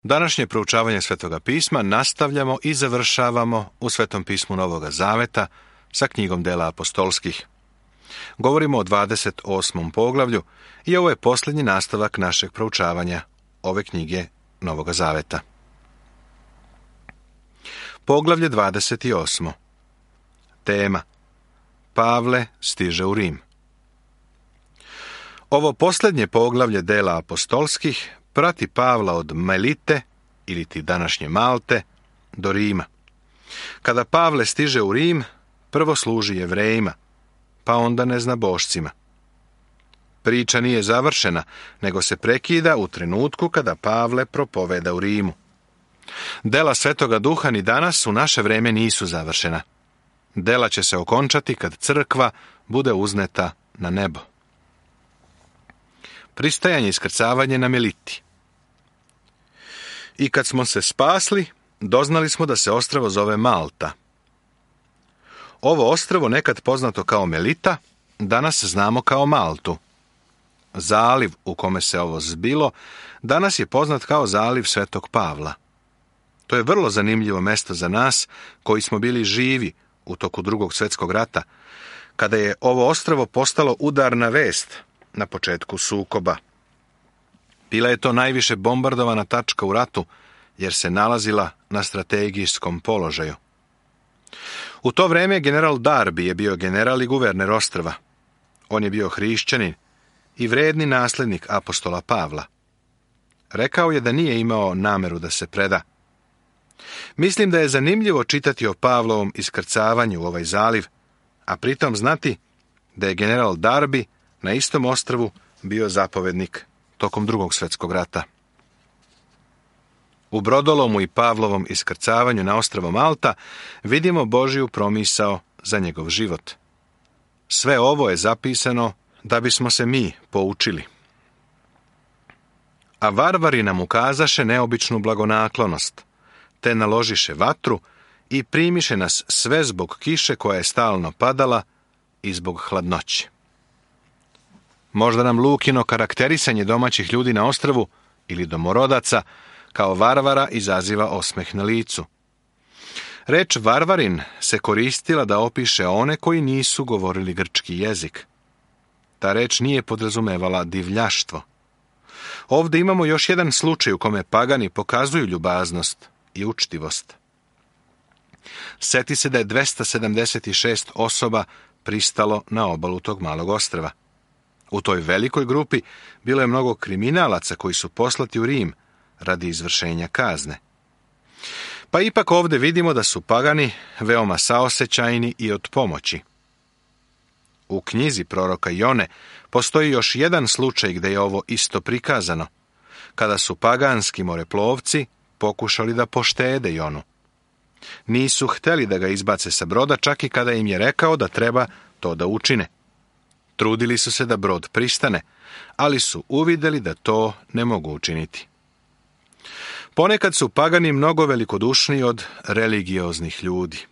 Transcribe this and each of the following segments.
Današnje proučavanje Svetoga pisma nastavljamo i završavamo u Svetom pismu Novoga Zaveta sa knjigom Dela apostolskih. Govorimo o 28. poglavlju i ovo je posljednji nastavak našeg proučavanja ove knjige Novoga Zaveta. Poglavlje 28. Tema: Pavle stiže u Rim. Ovo posljednje poglavlje Dela apostolskih prati Pavla od Melite, ili ti današnje Malte, do Rima. Kada Pavle stiže u Rim, prvo služi Jevrejima, pa onda neznabošcima. Priča nije završena, nego se prekida u trenutku kada Pavle propoveda u Rimu. Dela Svetoga Duha ni danas u naše vreme nisu završena. Dela će se okončati kad crkva bude uzneta na nebo. Pristajanje i iskrcavanje na Meliti. I kad smo se spasli, doznali smo da se ostrvo zove Malta. Ovo ostrvo, nekad poznato kao Melita, danas znamo kao Maltu. Zaliv u kome se ovo zbilo danas je poznat kao zaliv Svetog Pavla. To je vrlo zanimljivo mesto za nas koji smo bili živi u toku Drugog svjetskog rata, kada je ovo ostrvo postalo udarna vest na početku sukoba. Bila je to najviše bombardovana tačka u ratu, jer se nalazila na strategijskom položaju. U to vrijeme general Darby je bio general i guverner ostrva. On je bio hrišćanin i vredni nasljednik apostola Pavla. Rekao je da nije imao nameru da se preda. Mislim da je zanimljivo čitati o Pavlovom iskrcavanju u ovaj zaliv, a pritom znati da je general Darby na istom ostrvu bio zapovednik tokom Drugog svjetskog rata. U brodolomu i Pavlovom iskrcavanju na ostrvo Malta vidimo Božju promisao za njegov život. Sve ovo je zapisano da bismo se mi poučili. A varvari nam ukazaše neobičnu blagonaklonost, te naložiše vatru i primiše nas sve zbog kiše koja je stalno padala i zbog hladnoće. Možda nam Lukino karakterisanje domaćih ljudi na ostrvu ili domorodaca kao varvara izaziva osmeh na licu. Reč varvarin se koristila da opiše one koji nisu govorili grčki jezik. Ta reč nije podrazumevala divljaštvo. Ovdje imamo još jedan slučaj u kome pagani pokazuju ljubaznost i učtivost. Seti se da je 276 osoba pristalo na obalu tog malog ostrva. U toj velikoj grupi bilo je mnogo kriminalaca koji su poslati u Rim radi izvršenja kazne. Pa ipak ovdje vidimo da su pagani veoma saosećajni i od pomoći. U knjizi proroka Jone postoji još jedan slučaj gdje je ovo isto prikazano, kada su paganski moreplovci pokušali da poštede Jonu. Nisu htjeli da ga izbace sa broda, čak i kada im je rekao da treba to da učine. Trudili su se da brod pristane, ali su uvidjeli da to ne mogu učiniti. Ponekad su pagani mnogo velikodušniji od religioznih ljudi.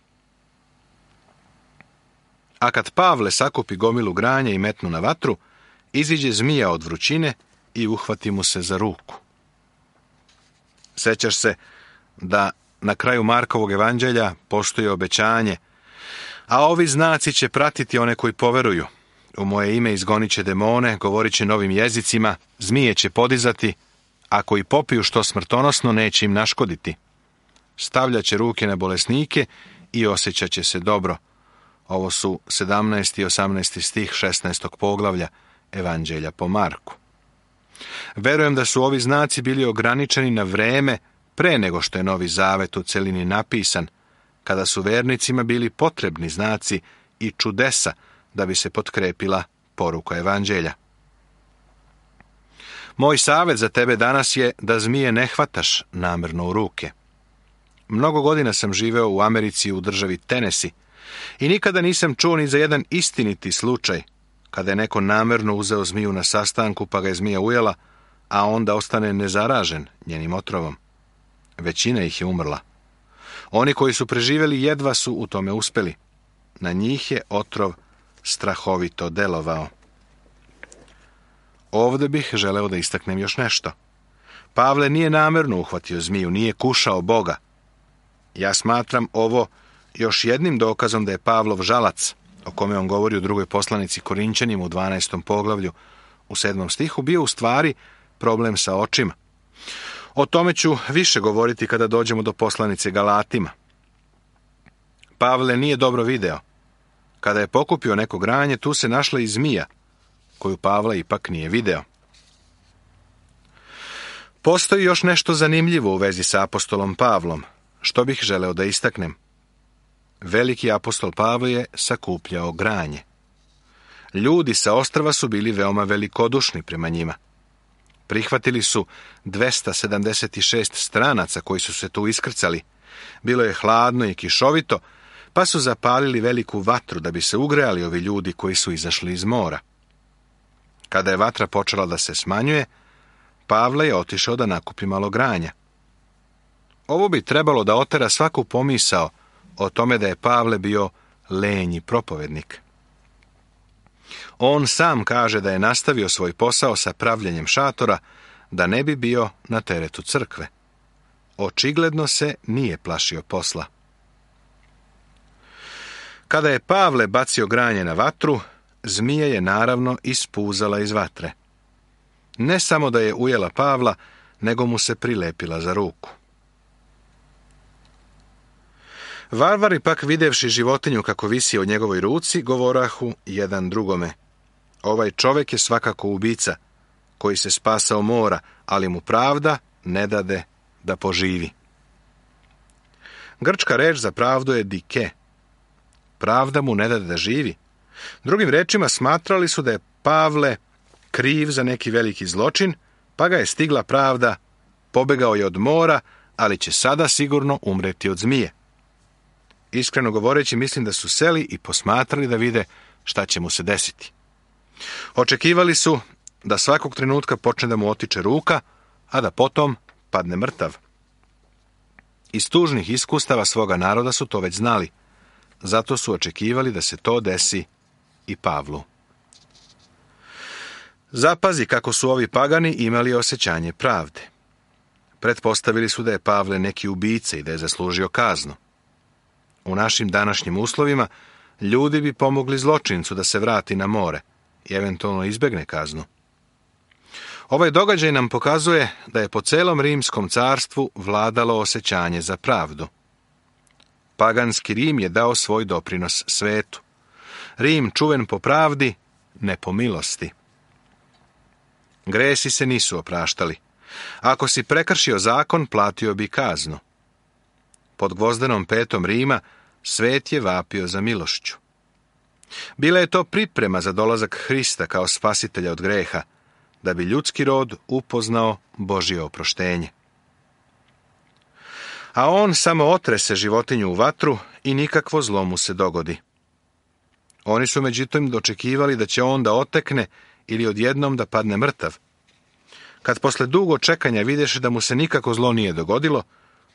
A kad Pavle sakupi gomilu granja i metnu na vatru, iziđe zmija od vrućine i uhvati mu se za ruku. Sjećaš se da na kraju Markovog evanđelja postoji obećanje: a ovi znaci će pratiti one koji poveruju. U moje ime izgonit će demone, govorit će novim jezicima, zmije će podizati, ako i popiju što smrtonosno, neće im naškoditi. Stavljat će ruke na bolesnike i osjećat će se dobro. Ovo su 17. i 18. stih 16. poglavlja Evanđelja po Marku. Verujem da su ovi znaci bili ograničeni na vreme pre nego što je Novi Zavet u celini napisan, kada su vernicima bili potrebni znaci i čudesa da bi se potkrepila poruka Evanđelja. Moj savjet za tebe danas je da zmije ne hvataš namjerno u ruke. Mnogo godina sam živeo u Americi u državi Tennessee i nikada nisam čuo ni za jedan istiniti slučaj kada je neko namjerno uzeo zmiju na sastanku pa ga je zmija ujela, a onda ostane nezaražen njenim otrovom. Većina ih je umrla. Oni koji su preživjeli jedva su u tome uspjeli. Na njih je otrov strahovito delovao. Ovdje bih želeo da istaknem još nešto. Pavle nije namjerno uhvatio zmiju, nije kušao Boga. Ja smatram ovo još jednim dokazom da je Pavlov žalac, o kome on govori u drugoj poslanici Korinćanima u 12. poglavlju u 7. stihu, bio u stvari problem sa očima. O tome ću više govoriti kada dođemo do poslanice Galatima. Pavle nije dobro video. Kada je pokupio neko granje, tu se našla i zmija, koju Pavle ipak nije video. Postoji još nešto zanimljivo u vezi sa apostolom Pavlom, što bih želeo da istaknem. Veliki apostol Pavle je sakupljao granje. Ljudi sa ostrva su bili veoma velikodušni prema njima. Prihvatili su 276 stranaca koji su se tu iskrcali. Bilo je hladno i kišovito, pa su zapalili veliku vatru da bi se ugrejali ovi ljudi koji su izašli iz mora. Kada je vatra počela da se smanjuje, Pavle je otišao da nakupi malo granja. Ovo bi trebalo da otera svaku pomisao o tome da je Pavle bio lenji propovednik. On sam kaže da je nastavio svoj posao sa pravljenjem šatora, da ne bi bio na teretu crkve. Očigledno se nije plašio posla. Kada je Pavle bacio granje na vatru, zmija je naravno ispuzala iz vatre. Ne samo da je ujela Pavla, nego mu se prilepila za ruku. Varvari pak videvši životinju kako visi o njegovoj ruci, govorahu jedan drugome: ovaj čovjek je svakako ubica, koji se spasao mora, ali mu pravda ne dade da poživi. Grčka reč za pravdu je dike. Pravda mu ne dade da živi. Drugim rečima, smatrali su da je Pavle kriv za neki veliki zločin, pa ga je stigla pravda, pobegao je od mora, ali će sada sigurno umreti od zmije. Iskreno govoreći, mislim da su seli i posmatrali da vide šta će mu se desiti. Očekivali su da svakog trenutka počne da mu otiče ruka, a da potom padne mrtav. Iz tužnih iskustava svoga naroda su to već znali, zato su očekivali da se to desi i Pavlu. Zapazi kako su ovi pagani imali osjećanje pravde. Pretpostavili su da je Pavle neki ubica i da je zaslužio kaznu. U našim današnjim uslovima ljudi bi pomogli zločincu da se vrati na more i eventualno izbegne kaznu. Ovaj događaj nam pokazuje da je po celom rimskom carstvu vladalo osjećanje za pravdu. Paganski Rim je dao svoj doprinos svetu. Rim čuven po pravdi, ne po milosti. Gresi se nisu opraštali. Ako si prekršio zakon, platio bi kaznu. Pod gvozdenom petom Rima svet je vapio za milošću. Bila je to priprema za dolazak Hrista kao spasitelja od greha, da bi ljudski rod upoznao Božje oproštenje. A on samo otrese životinju u vatru i nikakvo zlo mu se dogodi. Oni su međutim dočekivali da će on da otekne ili odjednom da padne mrtav. Kad posle dugo čekanja videše da mu se nikako zlo nije dogodilo,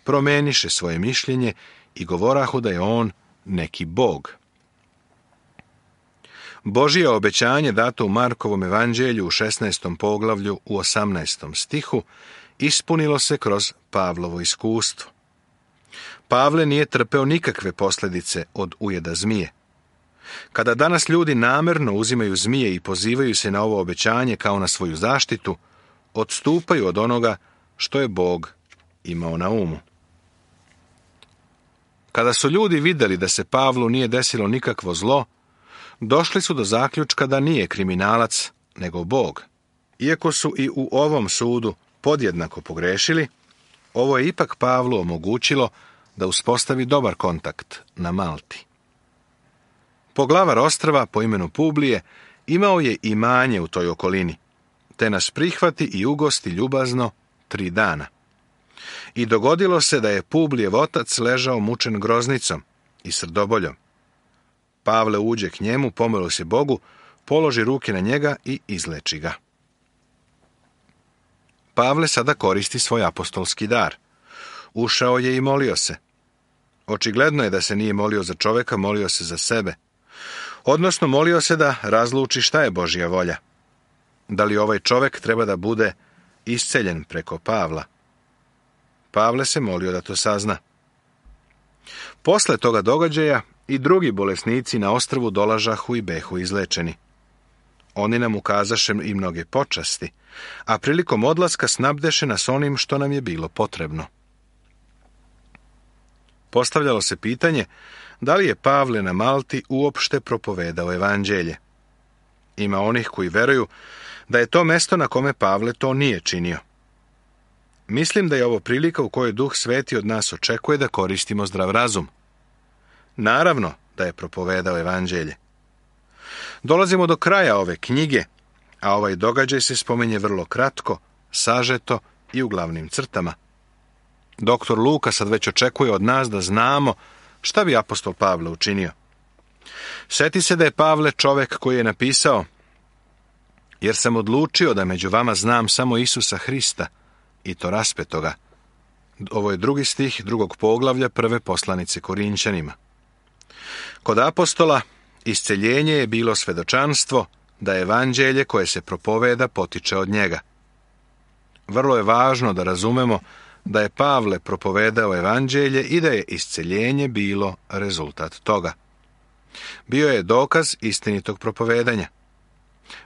promeniše svoje mišljenje i govorahu da je on neki bog. Božje obećanje dato u Markovom evanđelju u 16. poglavlju u 18. stihu ispunilo se kroz Pavlovo iskustvo. Pavle nije trpeo nikakve posljedice od ujeda zmije. Kada danas ljudi namjerno uzimaju zmije i pozivaju se na ovo obećanje kao na svoju zaštitu, odstupaju od onoga što je Bog imao na umu. Kada su ljudi vidjeli da se Pavlu nije desilo nikakvo zlo, došli su do zaključka da nije kriminalac, nego Bog. Iako su i u ovom sudu podjednako pogrešili, ovo je ipak Pavlu omogućilo da uspostavi dobar kontakt na Malti. Poglavar ostrva po imenu Publije imao je imanje u toj okolini, te nas prihvati i ugosti ljubazno 3 dana. I dogodilo se da je Publijev otac ležao mučen groznicom i srdoboljom. Pavle uđe k njemu, pomoli se Bogu, položi ruke na njega i izleči ga. Pavle sada koristi svoj apostolski dar. Ušao je i molio se. Očigledno je da se nije molio za čovjeka, molio se za sebe. Odnosno, molio se da razluči šta je Božja volja. Da li ovaj čovjek treba da bude isceljen preko Pavla. Pavle se molio da to sazna. Posle toga događaja i drugi bolesnici na ostrvu dolažahu i behu izlečeni. Oni nam ukazaše i mnoge počasti, a prilikom odlaska snabdeše nas onim što nam je bilo potrebno. Postavljalo se pitanje da li je Pavle na Malti uopšte propovedao evanđelje. Ima onih koji veruju da je to mesto na kome Pavle to nije činio. Mislim da je ovo prilika u kojoj Duh Sveti od nas očekuje da koristimo zdrav razum. Naravno da je propovedao evanđelje. Dolazimo do kraja ove knjige, a ovaj događaj se spominje vrlo kratko, sažeto i u glavnim crtama. Doktor Luka sad već očekuje od nas da znamo šta bi apostol Pavle učinio. Sjeti se da je Pavle čovek koji je napisao: jer sam odlučio da među vama znam samo Isusa Hrista, i to raspetoga. Ovo je 2. stih 2. poglavlja 1. poslanice Korinćanima. Kod apostola isceljenje je bilo svedočanstvo da evanđelje koje se propoveda potiče od njega. Vrlo je važno da razumemo da je Pavle propovedao evanđelje i da je isceljenje bilo rezultat toga. Bio je dokaz istinitog propovedanja.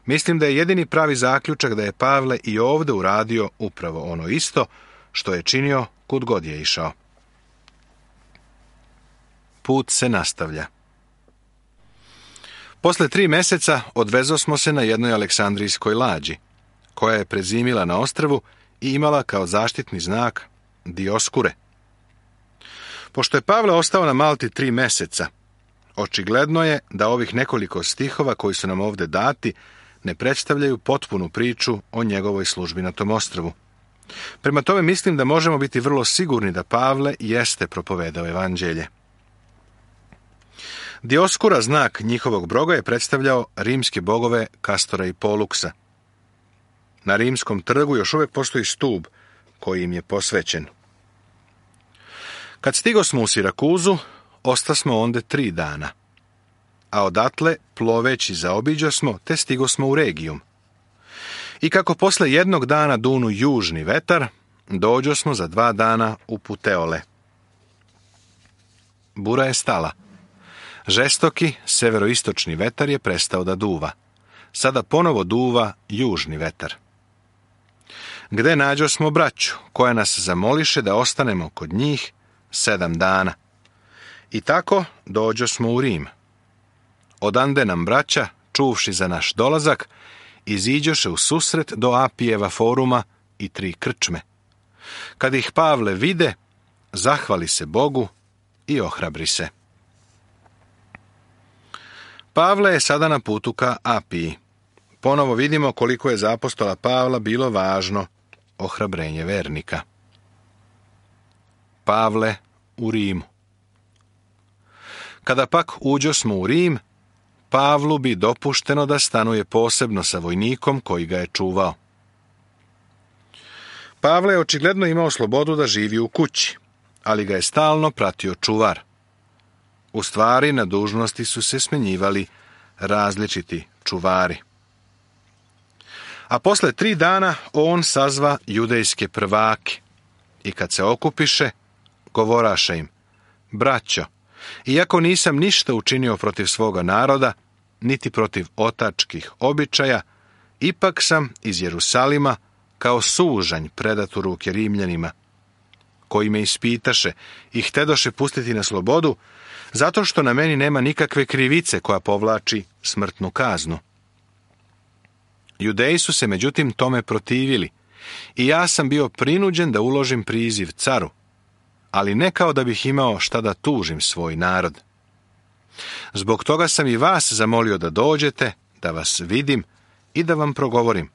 Mislim da je jedini pravi zaključak da je Pavle i ovdje uradio upravo ono isto što je činio kud god je išao. Put se nastavlja. Posle 3 meseca odvezosmo se na jednoj aleksandrijskoj lađi, koja je prezimila na ostrvu i imala kao zaštitni znak Dioskure. Pošto je Pavle ostao na Malti 3 meseca, očigledno je da ovih nekoliko stihova koji su nam ovdje dati ne predstavljaju potpunu priču o njegovoj službi na tom ostrvu. Prema tome mislim da možemo biti vrlo sigurni da Pavle jeste propovedao evanđelje. Dioskura, znak njihovog boga, je predstavljao rimske bogove Kastora i Poluksa. Na rimskom trgu još uvijek postoji stub koji im je posvećen. Kad stigosmo u Sirakuzu, ostasmo onda 3 dana, a odatle ploveći zaobiđosmo te stigosmo u Regijum. I kako posle 1 dana dunu južni vetar, dođosmo za 2 dana u Puteole. Bura je stala. Žestoki severoistočni vetar je prestao da duva. Sada ponovo duva južni vetar. Gde nađosmo braću, koja nas zamoliše da ostanemo kod njih 7 dana. I tako dođosmo u Rim. Odande nam braća, čuvši za naš dolazak, iziđoše u susret do Apijeva foruma i 3 krčme. Kad ih Pavle vide, zahvali se Bogu i ohrabri se. Pavle je sada na putu ka Apiji. Ponovo vidimo koliko je za apostola Pavla bilo važno ohrabrenje vernika. Pavle u Rimu. Kada pak uđosmo u Rim, Pavlu bi dopušteno da stanuje posebno sa vojnikom koji ga je čuvao. Pavle je očigledno imao slobodu da živi u kući, ali ga je stalno pratio čuvar. U stvari, na dužnosti su se smenjivali različiti čuvari. A posle 3 dana on sazva judejske prvake i kad se okupiše, govoraše im: braćo, iako nisam ništa učinio protiv svoga naroda, niti protiv otačkih običaja, ipak sam iz Jerusalima kao sužanj predat u ruke Rimljanima, koji me ispitaše i htedoše pustiti na slobodu, zato što na meni nema nikakve krivice koja povlači smrtnu kaznu. Judeji su se međutim tome protivili i ja sam bio prinuđen da uložim priziv caru, ali ne kao da bih imao šta da tužim svoj narod. Zbog toga sam i vas zamolio da dođete, da vas vidim i da vam progovorim,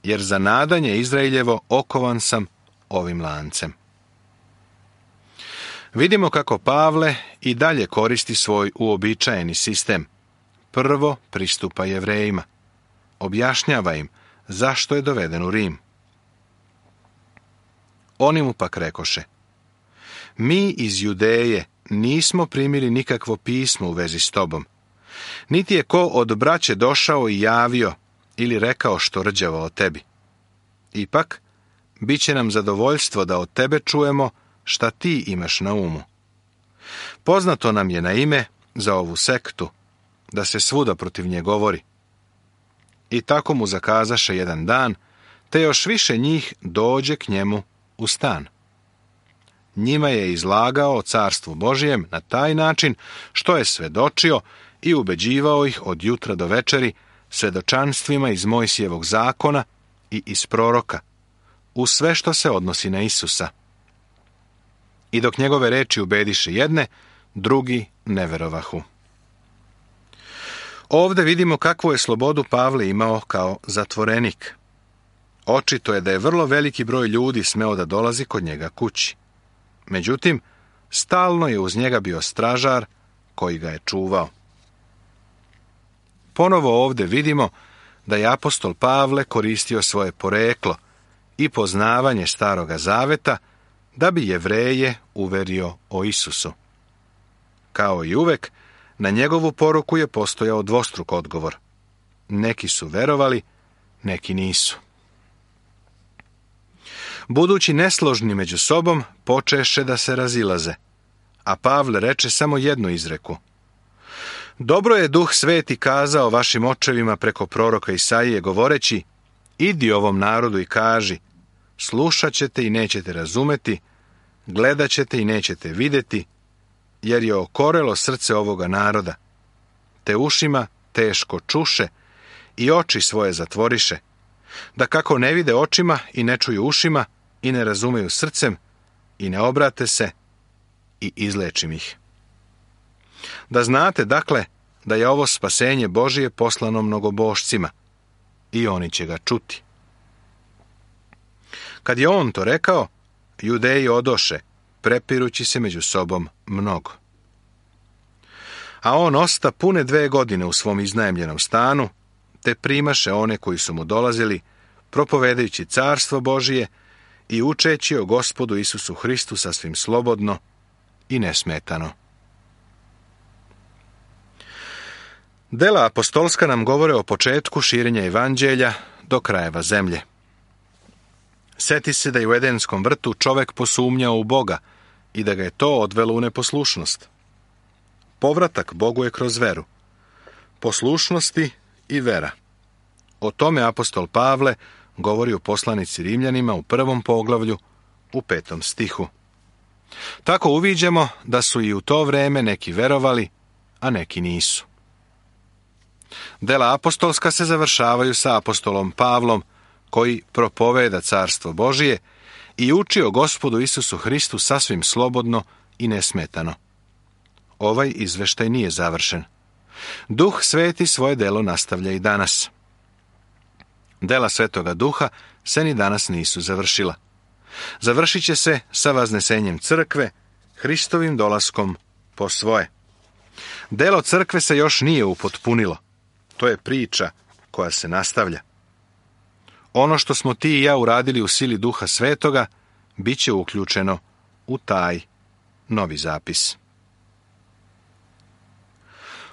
jer za nadanje Izraeljevo okovan sam ovim lancem. Vidimo kako Pavle i dalje koristi svoj uobičajeni sistem. Prvo pristupa Jevrejima. Objašnjava im zašto je doveden u Rim. Oni mu pak rekoše: mi iz Judeje nismo primili nikakvo pismo u vezi s tobom, niti je ko od braće došao i javio ili rekao što rđavo o tebi. Ipak, bit će nam zadovoljstvo da od tebe čujemo šta ti imaš na umu. Poznato nam je na ime za ovu sektu, da se svuda protiv nje govori. I tako mu zakazaše jedan dan, te još više njih dođe k njemu u stan. Njima je izlagao o carstvu Božijem na taj način što je svedočio i ubeđivao ih od jutra do večeri svedočanstvima iz Mojsijevog zakona i iz proroka, u sve što se odnosi na Isusa. I dok njegove reči ubediše jedne, drugi ne verovahu. Ovde vidimo kakvu je slobodu Pavle imao kao zatvorenik. Očito je da je vrlo veliki broj ljudi smeo da dolazi kod njega kući. Međutim, stalno je uz njega bio stražar koji ga je čuvao. Ponovo ovde vidimo da je apostol Pavle koristio svoje poreklo i poznavanje Staroga Zaveta da bi Jevreje uverio o Isusu. Kao i uvek, na njegovu poruku je postojao dvostruk odgovor. Neki su verovali, neki nisu. Budući nesložni među sobom, počeše da se razilaze, a Pavle reče samo jednu izreku. Dobro je Duh Sveti kazao vašim očevima preko proroka Isaije govoreći, idi ovom narodu i kaži, slušat ćete i nećete razumeti, gledat ćete i nećete vidjeti, jer je okorelo srce ovoga naroda, te ušima teško čuše i oči svoje zatvoriše, da kako ne vide očima i ne čuju ušima i ne razumeju srcem i ne obrate se i izlečim ih. Da znate, dakle, da je ovo spasenje Božije poslano mnogobošcima i oni će ga čuti. Kad je on to rekao, Judeji odoše, prepirući se među sobom mnogo. A on osta pune 2 godine u svom iznajmljenom stanu, te primaše one koji su mu dolazili, propovedajući carstvo Božije i učeći o Gospodu Isusu Hristu sasvim slobodno i nesmetano. Dela apostolska nam govore o početku širenja evanđelja do krajeva zemlje. Seti se da je u Edenskom vrtu čovek posumnjao u Boga i da ga je to odvelo u neposlušnost. Povratak Bogu je kroz veru, poslušnosti i vera. O tome apostol Pavle govori u poslanici Rimljanima u 1. poglavlju u 5. stihu. Tako uviđamo da su i u to vreme neki verovali, a neki nisu. Dela apostolska se završavaju sa apostolom Pavlom, koji propoveda carstvo Božije i uči o Gospodu Isusu Hristu sasvim slobodno i nesmetano. Ovaj izveštaj nije završen. Duh Sveti svoje delo nastavlja i danas. Dela Svetoga Duha se ni danas nisu završila. Završit će se sa vaznesenjem crkve, Hristovim dolaskom po svoje. Delo crkve se još nije upotpunilo. To je priča koja se nastavlja. Ono što smo ti i ja uradili u sili Duha Svetoga, bit će uključeno u taj novi zapis.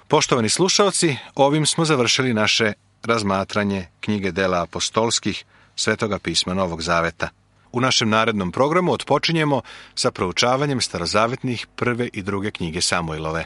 Poštovani slušaoci, ovim smo završili naše razmatranje knjige Dela apostolskih Svetoga pisma Novog Zaveta. U našem narednom programu otpočinjemo sa proučavanjem starozavetnih 1. i 2. knjige Samuilove.